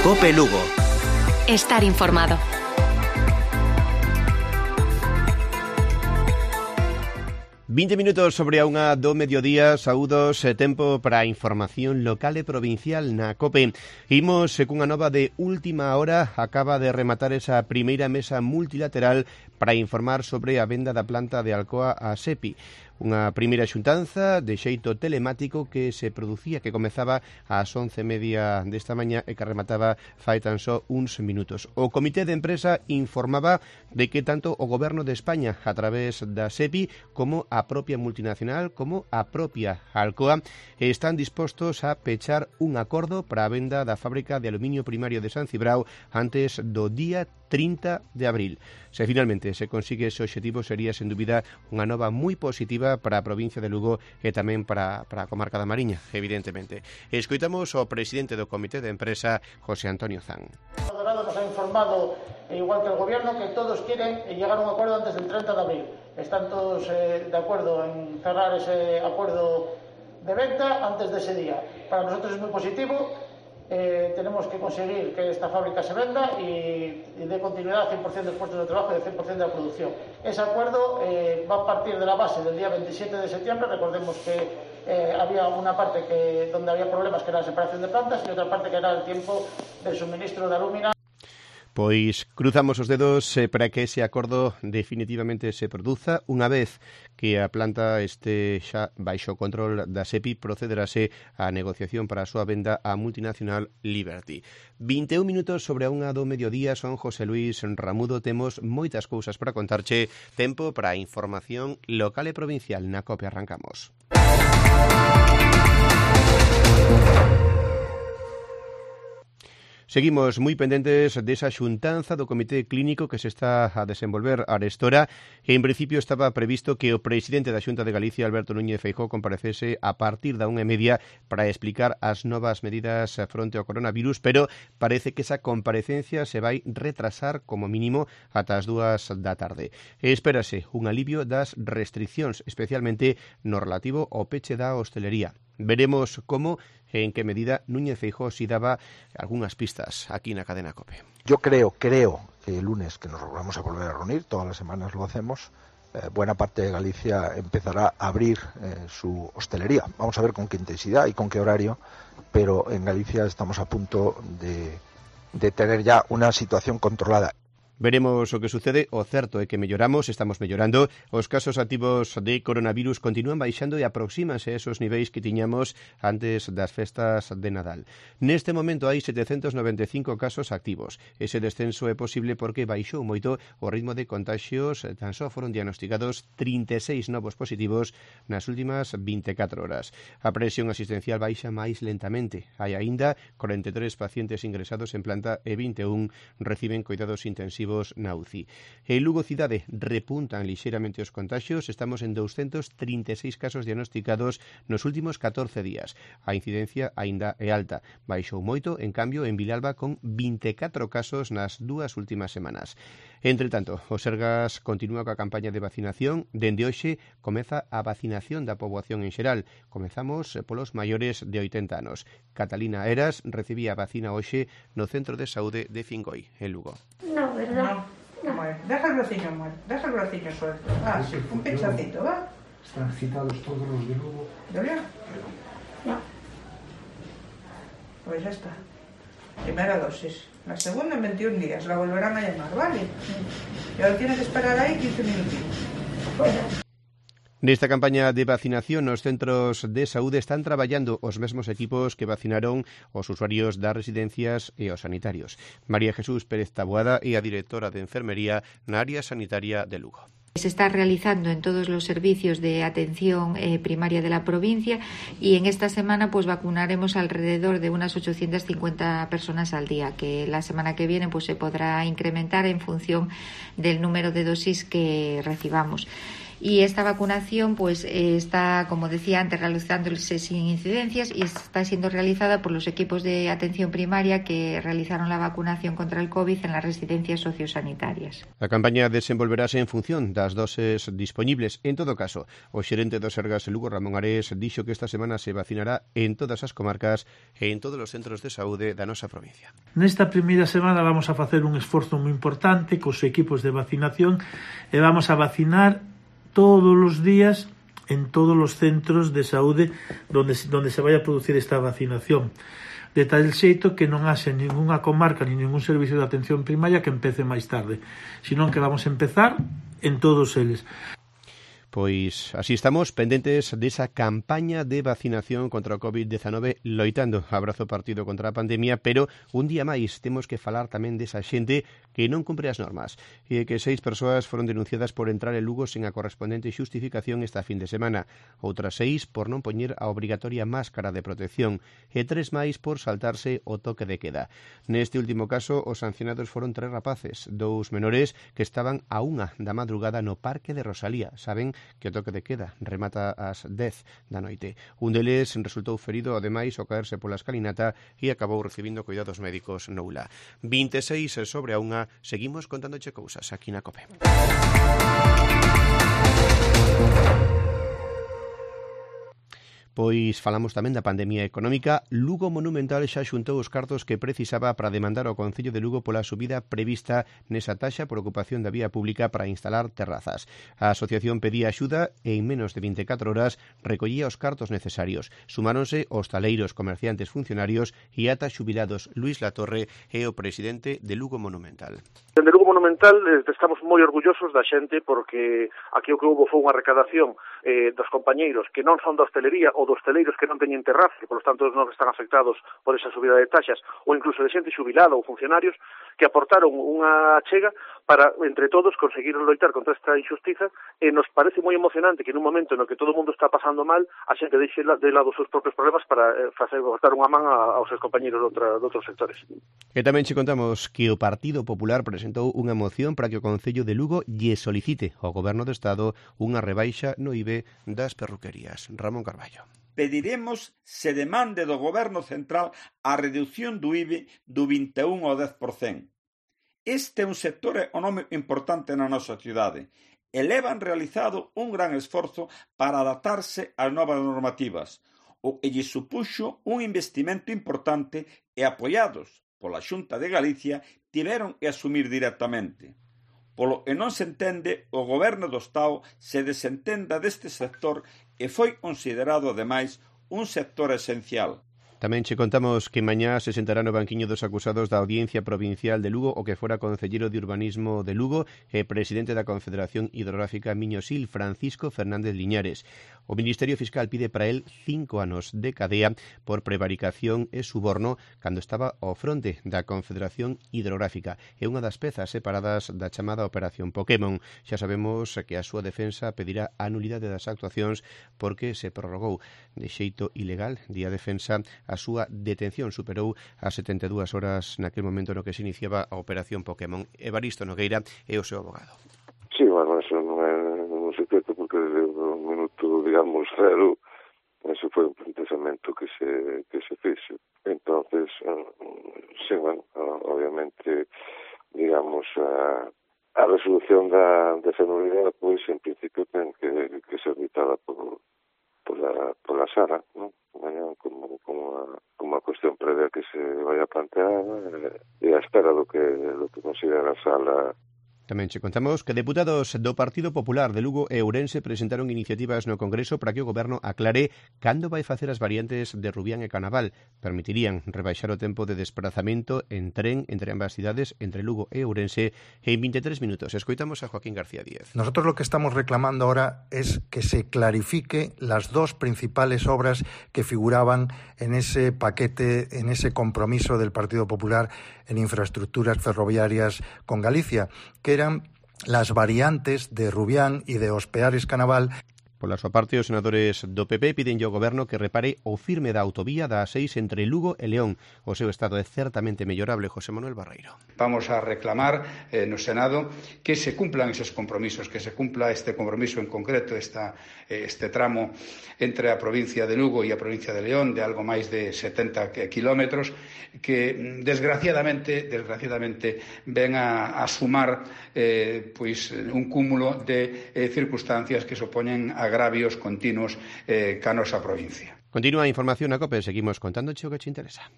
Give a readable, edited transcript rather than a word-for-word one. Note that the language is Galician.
COPE Lugo. Estar informado. ...20 minutos sobre a unha do mediodía, saúdos, tempo para a información local e provincial na COPE. Imos cunha nova de última hora, acaba de rematar esa primeira mesa multilateral para informar sobre a venda da planta de Alcoa a SEPI. Unha primeira xuntanza de xeito telemático que se producía, que comezaba ás 11:30 desta mañá e que remataba fai tan só uns minutos. O Comité de Empresa informaba de que tanto o Goberno de España, a través da SEPI, como a propia multinacional, como a propia Alcoa, están dispostos a pechar un acordo para a venda da fábrica de aluminio primario de San Cibrao antes do día 30 de abril. Se finalmente se consigue ese obxectivo, sería sen dúbida unha nova moi positiva para a provincia de Lugo e tamén para a comarca da Mariña, evidentemente. Escoitamos o presidente do Comité de Empresa, José Antonio Zan. El Dorado nos ha informado, igual que el Gobierno, que todos quieren llegar a un acuerdo antes del 30 de abril. Están todos de acuerdo en cerrar ese acuerdo de venta antes de ese día. Para nosotros es muy positivo. Tenemos que conseguir que esta fábrica se venda y dé continuidad al 100% de puestos de trabajo y al 100% de la producción. Ese acuerdo va a partir de la base del día 27 de septiembre. Recordemos que había una parte donde había problemas, que era la separación de plantas, y otra parte que era el tiempo del suministro de alúmina. Pois cruzamos os dedos para que ese acordo definitivamente se produza. Unha vez que a planta este xa baixo o control da SEPI, procederase a negociación para a súa venda á multinacional Liberty. 21 minutos sobre a unha do mediodía, son José Luis Ramudo. Temos moitas cousas para contarche. Tempo para a información local e provincial na COPE. Arrancamos. Seguimos moi pendentes desa xuntanza do Comité Clínico que se está a desenvolver arestora, e en principio estaba previsto que o presidente da Xunta de Galicia, Alberto Núñez Feijóo, comparecese a partir da 1:30 para explicar as novas medidas fronte ao coronavirus, pero parece que esa comparecencia se vai retrasar como mínimo ata as 2 da tarde. E espérase un alivio das restriccións, especialmente no relativo ao peche da hostelería. Veremos como e en que medida Núñez Feijóo si daba algunhas pistas aquí na cadena COPE. Yo creo que el lunes, que nos vamos a volver a reunir, todas las semanas lo hacemos, buena parte de Galicia empezará a abrir su hostelería. Vamos a ver con qué intensidad y con qué horario, pero en Galicia estamos a punto de tener ya una situación controlada. Veremos o que sucede. O certo é que estamos mellorando. Os casos activos de coronavirus continúan baixando e aproxímanse a esos niveis que tiñamos antes das festas de Nadal. Neste momento hai 795 casos activos. Ese descenso é posible porque baixou moito o ritmo de contaxios. Tan só foron diagnosticados 36 novos positivos nas últimas 24 horas. A presión asistencial baixa máis lentamente. Hai aínda 43 pacientes ingresados en planta e 21 reciben cuidados intensivos na UCI. En Lugo cidade repuntan lixeiramente os contaxios. Estamos en 236 casos diagnosticados nos últimos 14 días. A incidencia aínda é alta. Baixou moito, en cambio, en Vilalba, con 24 casos nas 2 últimas semanas. Entre tanto, o Sergas continúa coa campaña de vacinación. Dende hoxe comeza a vacinación da poboación en xeral. Comezamos polos maiores de 80 anos. Catalina Eras recibía a vacina hoxe no Centro de Saúde de Fingoi, en Lugo. No, ¿verdad? No. Bueno, deja el braciño suelto. Sí, un pinchacito, ¿va? Están citados todos los de Lugo. ¿De verdad? No. Pues ya está. Primera dosis. La segunda en 21 días. La volverán a llamar, ¿vale? Y ahora tiene que esperar ahí 15 minutitos. Nesta campaña de vacinación, nos centros de saúde están traballando os mesmos equipos que vacinaron os usuarios das residencias e os sanitarios. María Jesús Pérez Taboada é a directora de Enfermería na área sanitaria de Lugo. Se está realizando en todos los servicios de atención primaria de la provincia, y en esta semana pues vacunaremos alrededor de unas 850 personas al día, que la semana que viene pues se podrá incrementar en función del número de dosis que recibamos. y esta vacunación pues está, como decía antes, realizándose sin incidencias y está siendo realizada por los equipos de atención primaria que realizaron la vacunación contra el COVID en las residencias sociosanitarias. A campaña desenvolverase en función das doses dispoñibles. En todo caso, o xerente do Sergas Lugo, Ramón Ares, dixo que esta semana se vacinará en todas as comarcas e en todos os centros de saúde da nosa provincia. Nesta primeira semana vamos a facer un esforzo moi importante cos equipos de vacinación e vamos a vacinar todos os días en todos os centros de saúde donde se vai a producir esta vacinación, de tal xeito que non haxe ninguna comarca ni ningún servicio de atención primaria que empece máis tarde, senón que vamos a empezar en todos eles. Pois así estamos, pendentes desa campaña de vacinación contra o COVID-19, loitando abrazo partido contra a pandemia, pero un día máis temos que falar tamén desa xente que non cumpre as normas e que 6 persoas foron denunciadas por entrar en Lugo sen a correspondente xustificación esta fin de semana, outras 6 por non poñer a obrigatoria máscara de protección e 3 máis por saltarse o toque de queda. Neste último caso, os sancionados foron 3 rapaces, 2 menores que estaban a 1 da madrugada no Parque de Rosalía, saben que o toque de queda remata ás 10 da noite. Un deles resultou ferido, ademais, ao caerse pola escalinata e acabou recibindo cuidados médicos no ULA. 26 sobre a 1, seguimos contándoche cousas aquí na COPE. Pois falamos tamén da pandemia económica. Lugo Monumental xa xuntou os cartos que precisaba para demandar ao Concello de Lugo pola subida prevista nesa taxa por ocupación da vía pública para instalar terrazas. A asociación pedía axuda e en menos de 24 horas recollía os cartos necesarios. Sumáronse hostaleiros, comerciantes, funcionarios e ata xubilados. Luís Latorre é o presidente de Lugo Monumental. Dende Lugo Monumental estamos moi orgullosos da xente porque aquí o que houve foi unha recadación dos compañeiros que non son da hostelería ou dos hosteleiros que non teñen terraza e, por lo tanto, non están afectados por esa subida de taxas, ou incluso de xente xubilada ou funcionarios que aportaron unha achega para, entre todos, conseguir loitar contra esta injustiza e nos parece moi emocionante que nun momento no que todo o mundo está pasando mal, a xente deixe de lado os seus propios problemas para dar unha man aos seus compañeros de outros sectores. E tamén che contamos que o Partido Popular presentou unha moción para que o Concello de Lugo lle solicite ao Goberno do Estado unha rebaixa no IBE das perruquerías. Ramón Carballo. Pediremos se demande do Goberno Central a reducción do IBE do 21 ao 10%. Este é un sector económico importante na nosa cidade e levan realizado un gran esforzo para adaptarse ás novas normativas, o que lle supuxo un investimento importante e apoiados pola Xunta de Galicia tiveron que asumir directamente. Polo que non se entende, o Goberno do Estado se desentenda deste sector e foi considerado, ademais, un sector esencial. Tamén che contamos que mañá se sentará no banquiño dos acusados da Audiencia Provincial de Lugo o que fora concelleiro de Urbanismo de Lugo e presidente da Confederación Hidrográfica Miño-Sil, Francisco Fernández Liñares. O Ministerio Fiscal pide para él 5 anos de cadea por prevaricación e suborno cando estaba ao fronte da Confederación Hidrográfica. É unha das pezas separadas da chamada Operación Pokémon. Xa sabemos que a súa defensa pedirá a nulidade das actuacións porque se prorrogou de xeito ilegal, di a defensa, a súa detención superou as 72 horas naquele momento no que se iniciaba a Operación Pokémon. Evaristo Nogueira é o seu abogado. Sí, bueno, eso non é un secreto porque desde o minuto, digamos, cero, eso foi un planteamento que se fixo. Entonces, sí, bueno, obviamente, digamos, a resolución da nulidade, pois, en principio, ten que ser dictada pola Sara, non? Como a cuestión previa que se vai a plantear e a espera do que considera a sala. Tamén che contamos que deputados do Partido Popular de Lugo e Ourense presentaron iniciativas no Congreso para que o Goberno aclare cando vai facer as variantes de Rubián e Canaval. Permitirían rebaixar o tempo de desplazamento en tren entre ambas cidades, entre Lugo e Ourense, en 23 minutos. Escoitamos a Joaquín García Díez. Nosotros lo que estamos reclamando ahora es que se clarifique las dos principales obras que figuraban en ese paquete, en ese compromiso del Partido Popular en infraestructuras ferroviarias con Galicia, que eran las variantes de Rubián y de Ospeares Canaval. Pola súa parte, os senadores do PP piden ao Goberno que repare o firme da autovía da A6 entre Lugo e León. O seu estado é certamente mellorable, José Manuel Barreiro. Vamos a reclamar no Senado que se cumplan esos compromisos, que se cumpla este compromiso en concreto, este tramo entre a provincia de Lugo e a provincia de León de algo máis de 70 kilómetros que desgraciadamente ven a sumar un cúmulo de circunstancias que supoñen agravios continuos ca nosa provincia. Continúa a información na COPE, seguimos contándoche o que te interesa.